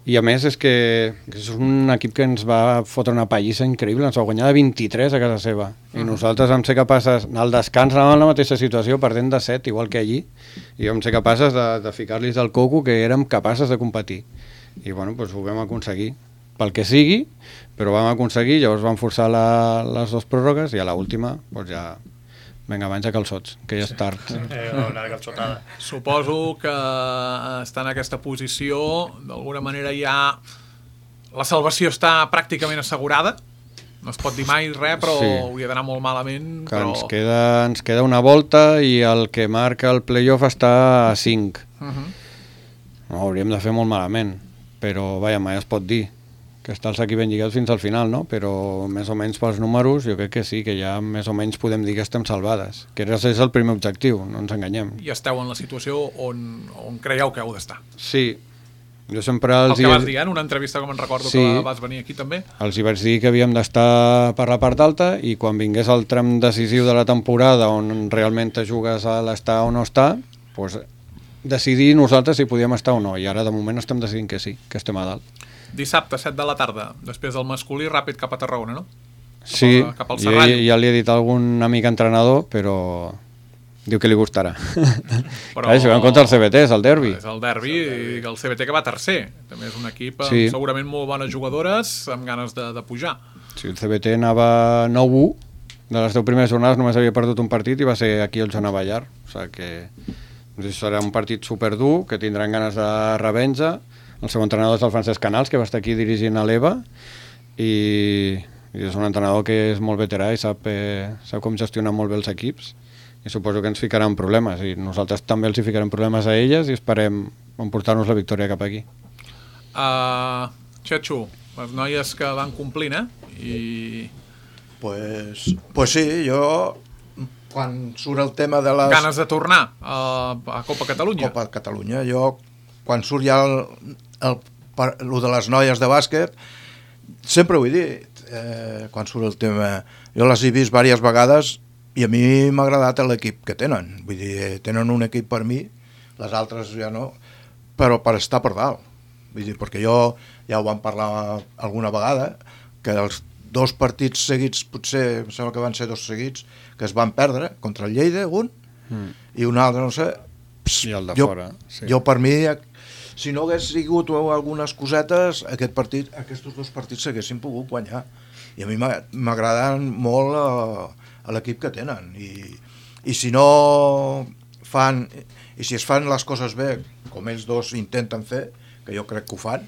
I a més és que, que és un equip que ens va fotre una pallissa increïble, ens va guanyar de vint-i-tres a casa seva. I uh-huh. nosaltres vam ser capaces, al descans anàvem en la mateixa situació, perdent de set, igual que allí, i vam ser capaces de, de ficar-los del coco que érem capaces de competir. I bueno, doncs ho vam aconseguir, pel que sigui, però vam aconseguir, llavors vam forçar la, les dues pròrrogues i a l'última doncs ja... Vinga, abans de calçots, que ja és tard. Eh, una calçotada. Suposo que està en aquesta posició, d'alguna manera ja la salvació està pràcticament assegurada. No es pot dir mai res, però sí. hauria d'anar molt malament. Que però... ens, queda, ens queda una volta i el que marca el playoff està a cinc. Uh-huh. No, hauríem de fer molt malament, però vaja, mai es pot dir que està els equips ben lligats fins al final, no? Però més o menys pels números jo crec que sí, que ja més o menys podem dir que estem salvades, que és el primer objectiu, no ens enganyem. I esteu en la situació on, on creieu que heu d'estar. Sí, jo sempre els... El que vas dir, en una entrevista, com en recordo, sí, que vas venir aquí també. Els hi vaig dir que havíem d'estar per la part alta i quan vingués el tram decisiu de la temporada on realment te jugues a l'estar o no estar, doncs decidir nosaltres si podíem estar o no, i ara de moment estem decidint que sí, que estem a dalt. Dissabte, set de la tarda, després del masculí, ràpid cap a Tarragona, no? Cap sí, a, cap al Serrall. Ja, ja li he dit a algun amic entrenador, però diu que li gustarà. Però... Clar, jugant contra el C B T, és el derbi. És el derbi, i el C B T que va tercer. També és un equip amb sí. segurament molt bones jugadores, amb ganes de, de pujar. Sí, el C B T anava nou u, de les deu primeres jornades només havia perdut un partit i va ser aquí el Joan Avallar. O sigui que doncs, serà un partit superdur, que tindran ganes de revenja. El seu entrenador és el Francesc Canals, que va estar aquí dirigint a l'E V A, i, i és un entrenador que és molt veterà i sap, eh, sap com gestionar molt bé els equips, i suposo que ens ficaran problemes, i nosaltres també els hi ficarem problemes a elles i esperem emportar-nos la victòria cap aquí. Uh, Xatxo, les noies que van complint, eh? I... Pues, pues sí, jo, quan surt el tema de les... Ganes de tornar a, a Copa Catalunya. Copa Catalunya, jo... Quan surt ja el, el, el, el de les noies de bàsquet, sempre ho he dit, eh, quan surt el tema, jo les he vist diverses vegades i a mi m'ha agradat l'equip que tenen, vull dir, tenen un equip per mi, les altres ja no, però per estar per dalt, vull dir, perquè jo ja ho vam parlar alguna vegada, que els dos partits seguits, potser, em sembla que van ser dos seguits, que es van perdre, contra el Lleida, un, mm. i un altre, no sé, pss, i el de jo, fora, sí. Jo per mi... Si no hagués sigut algunes cosetes, aquest partit, aquests dos partits s'haguessin pogut guanyar. I a mi m'agraden molt a, a l'equip que tenen. I, I si no fan, i si es fan les coses bé, com ells dos intenten fer, que jo crec que ho fan,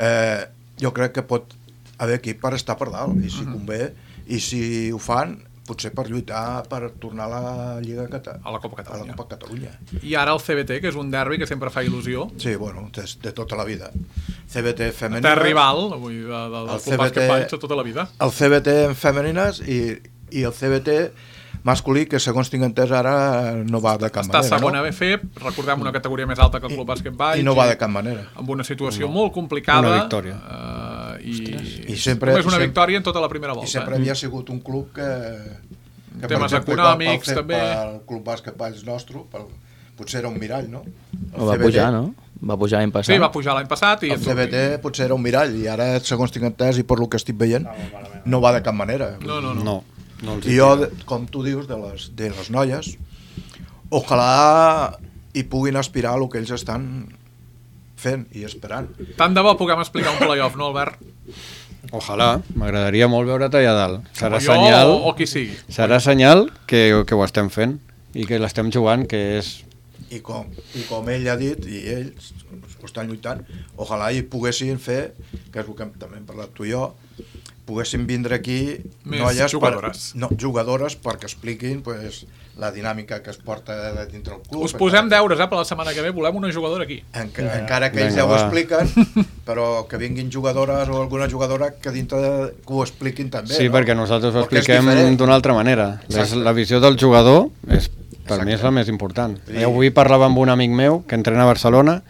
eh, jo crec que pot haver equip per estar per dalt. I si convé, i si ho fan, potser per lluitar per tornar a la Lliga Cata... a la Copa Catalunya. A la Copa Catalunya. I ara el C B T, que és un derbi que sempre fa il·lusió. Sí, bueno, de, de tota la vida. C B T femenines... De rival, avui, de, de, del Club Bàsquet Valls, de tota la vida. El C B T en femenines i, i el C B T masculí, que segons tinc entès ara no va de cap Està manera. Està segona no? B F, recordem una categoria més alta que el Club Bàsquet Valls. I no va de cap manera. Amb una situació no. molt complicada. Una victòria. Uh, i, I sempre, només una sempre, victòria en tota la primera volta. I sempre eh? havia sigut un club que... que temes per exemple, econòmics, pel, també. Pel Club Bàsquet Valls nostre, pel, potser era un mirall, no? El no va C B T, pujar, no? Va pujar l'any passat. Sí, va pujar l'any passat. I el C B T potser era un mirall, i ara, segons tinc entès i per lo que estic veient, no va de cap manera. No, no, no. no, no I jo, com tu dius, de les, de les noies, ojalà hi puguin aspirar a el que ells estan fent i esperant. Tant de bo puguem explicar un playoff, no, Albert? Ojalà, m'agradaria molt veure-te allà dalt. Serà jo senyal, o, o qui sigui. Serà senyal que, que ho estem fent i que l'estem jugant, que és... I com, I com ell ha dit, i ells ho estan lluitant, ojalà hi poguessin fer, que és el que també hem parlat tu i jo, poguessin vindre aquí més noies jugadores. Per, no, jugadores perquè expliquin pues, la dinàmica que es porta de dintre el club. Us posem deures, eh, per la setmana que ve, volem una jugadora aquí. Enca, ja. Encara que ells Venga, ja ho va. expliquen, però que vinguin jugadores o alguna jugadora que dintre de, que ho expliquin també. Sí, no? perquè nosaltres ho Perquè és expliquem diferent. d'una altra manera. És, la visió del jugador és, per Exacte. mi és la més important. Sí. I avui parlava amb un amic meu que entrena a Barcelona,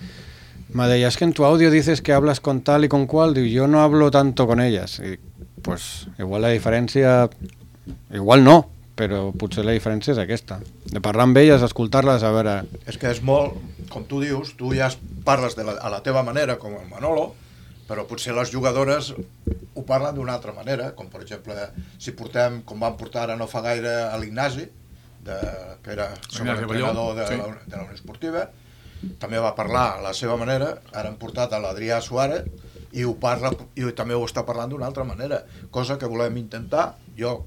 me deia, es que en tu audio dices que hablas con tal y con cual, diu, yo no hablo tanto con ellas. Y pues igual la diferència, igual no, però potser la diferència és aquesta, de parlar amb elles, escoltar-les, a veure... És que és molt, com tu dius, tu ja parles de la, a la teva manera, com el Manolo, però potser les jugadores ho parlen d'una altra manera, com per exemple, si portem, com vam portar ara no fa gaire a l'Ignasi, de, que era sobreentrenador de, sí. la, de la Unió Esportiva, també va parlar a la seva manera, ara hem portat a l'Adrià Suárez, i ho parla, i també ho està parlant d'una altra manera, cosa que volem intentar, jo,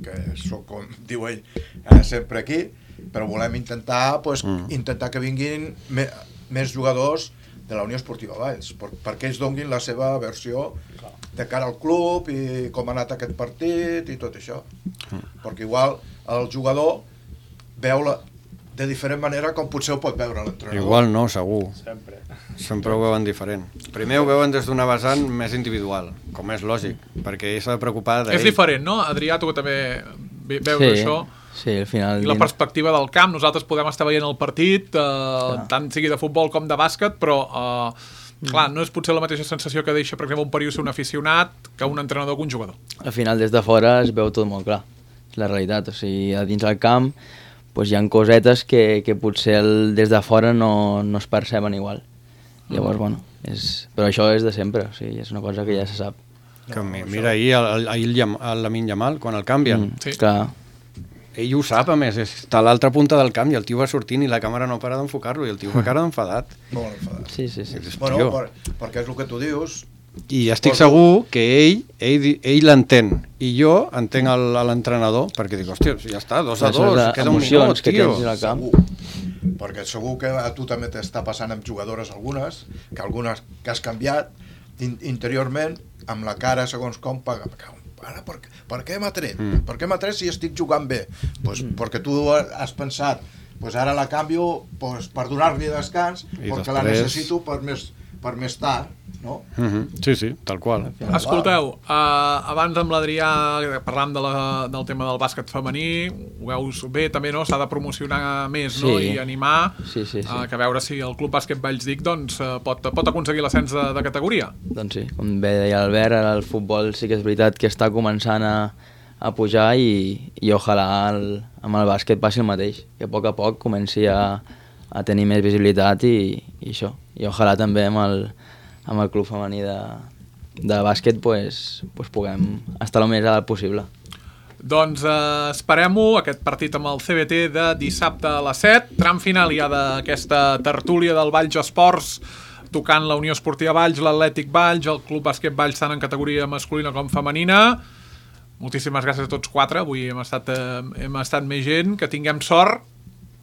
que sóc, com diu ell, eh, sempre aquí, però volem intentar, pues, mm. intentar que vinguin me, més jugadors de la Unió Esportiva Valls, per, perquè ells donguin la seva versió de cara al club i com ha anat aquest partit i tot això. Mm. Perquè igual el jugador veu la, de diferent manera com potser ho pot veure l'entrenador. Igual no, segur. Sempre. Sempre ho veuen diferent. Primer ho veuen des d'una vessant més individual, com és lògic, perquè ell s'ha de preocupar d'ell. És diferent, no? Adrià, tu que també veus sí, això. Sí, al final... I la perspectiva del camp, nosaltres podem estar veient el partit, eh, tant sigui de futbol com de bàsquet, però eh, clar, no és potser la mateixa sensació que deixa, per exemple, un periodista, un aficionat, que un entrenador, que un jugador. Al final, des de fora es veu tot molt clar, és la realitat. O sigui, a dins del camp pues, hi ha cosetes que, que potser el, des de fora no, no es perceben igual. Llavors, bueno, és, però això és de sempre, o sigui, és una cosa que ja se sap. Que no, mira, ahir el, el, el, el Lamine Yamal, quan el canvien, mm, sí. clar. Ell ho sap, a més, està a l'altra punta del camp i el tio va sortint i la càmera no para d'enfocar-lo i el tio va cara d'enfadat. Molt enfadat. Sí, sí, sí. Bueno, per, perquè és el que tu dius. I estic segur que ell ell, ell l'entén i jo entenc l'entrenador perquè dic, hòstia, ja està, dos a dos, queda un minut, que tio. tens al camp. Segur. Perquè segur que a tu també t'està passant amb jugadores algunes, que algunes que has canviat in, interiorment, amb la cara segons com paga. Ara, per, per què m'ha tret? Mm. Per què m'ha tret si estic jugant bé? Pues, mm. Perquè tu has pensat, pues ara la canvio pues, per donar-li descans, I perquè després... la necessito per més, per més tard, no? Mm-hmm. Sí, sí, tal qual. Escolteu, uh, abans amb l'Adrià parlant de la, del tema del bàsquet femení, ho veus bé també, no? S'ha de promocionar més, sí. no? I animar, sí, sí, sí. Uh, que a veure si el Club Bàsquet Vallsdic doncs, uh, pot, pot aconseguir l'ascens de, de categoria. Doncs sí, com bé deia l'Albert, ara el futbol sí que és veritat que està començant a, a pujar i, i ojalà el, amb el bàsquet passi el mateix, que a poc a poc comenci a, a tenir més visibilitat i, i això. I ojalà també amb el, amb el club femení de, de bàsquet pues, pues puguem estar el més alt possible. Doncs eh, esperem-ho, aquest partit amb el C B T de dissabte a les set, tram final ja d'aquesta tertúlia del Valls Esports, tocant la Unió Esportiva Valls, l'Atlètic Valls, el Club Bàsquet Valls tant en categoria masculina com femenina. Moltíssimes gràcies a tots quatre, avui hem estat, eh, hem estat més gent, que tinguem sort,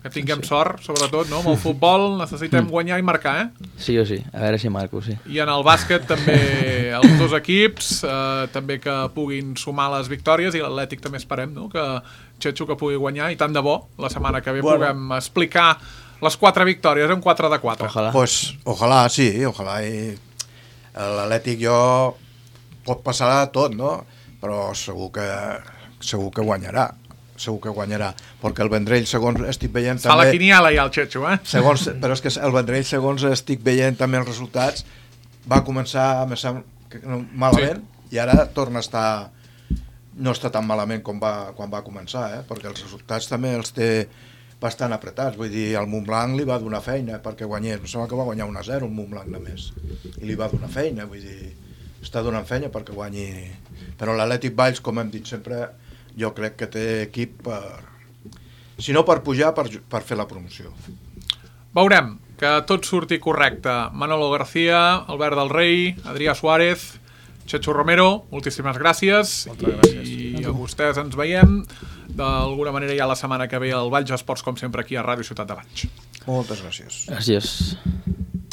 que tinguem sí, sí. sort, sobretot, no? Amb el futbol necessitem guanyar i marcar, eh? Sí o sí, a veure si marco, sí. I en el bàsquet també els dos equips, eh, també que puguin sumar les victòries, i l'Atlètic també esperem, no? Que Txetxo que pugui guanyar, i tant de bo, la setmana que ve bueno. puguem explicar les quatre victòries, un quatre de quatre. Ojalà. Pues, ojalà, sí, ojalà. I l'Atlètic jo pot passar tot, no? Però segur que, segur que guanyarà. segur que guanyarà, perquè el Vendrell, segons estic veient també... Fa la quiniela ja el Txetxo, eh? Segons, però és que el Vendrell, segons estic veient també els resultats, va començar malament, sí. I ara torna a estar... No està tan malament com va, quan va començar, eh? Perquè els resultats també els té bastant apretats. Vull dir, el Montblanc li va donar feina perquè guanyés. Em sembla que va guanyar un a zero el Montblanc només. I li va donar feina, vull dir... Està donant feina perquè guanyi... Però l'Atlètic Valls, com hem dit sempre... jo crec que té equip per... si no per pujar, per, per fer la promoció. Veurem que tot surti correcte. Manolo García, Albert del Rei, Adrià Suárez, Txetxo Romero, moltíssimes gràcies. Moltes gràcies. I a vostès ens veiem d'alguna manera ja la setmana que ve al Valls Esports, com sempre, aquí a Ràdio Ciutat de Valls. Moltes gràcies. Gràcies.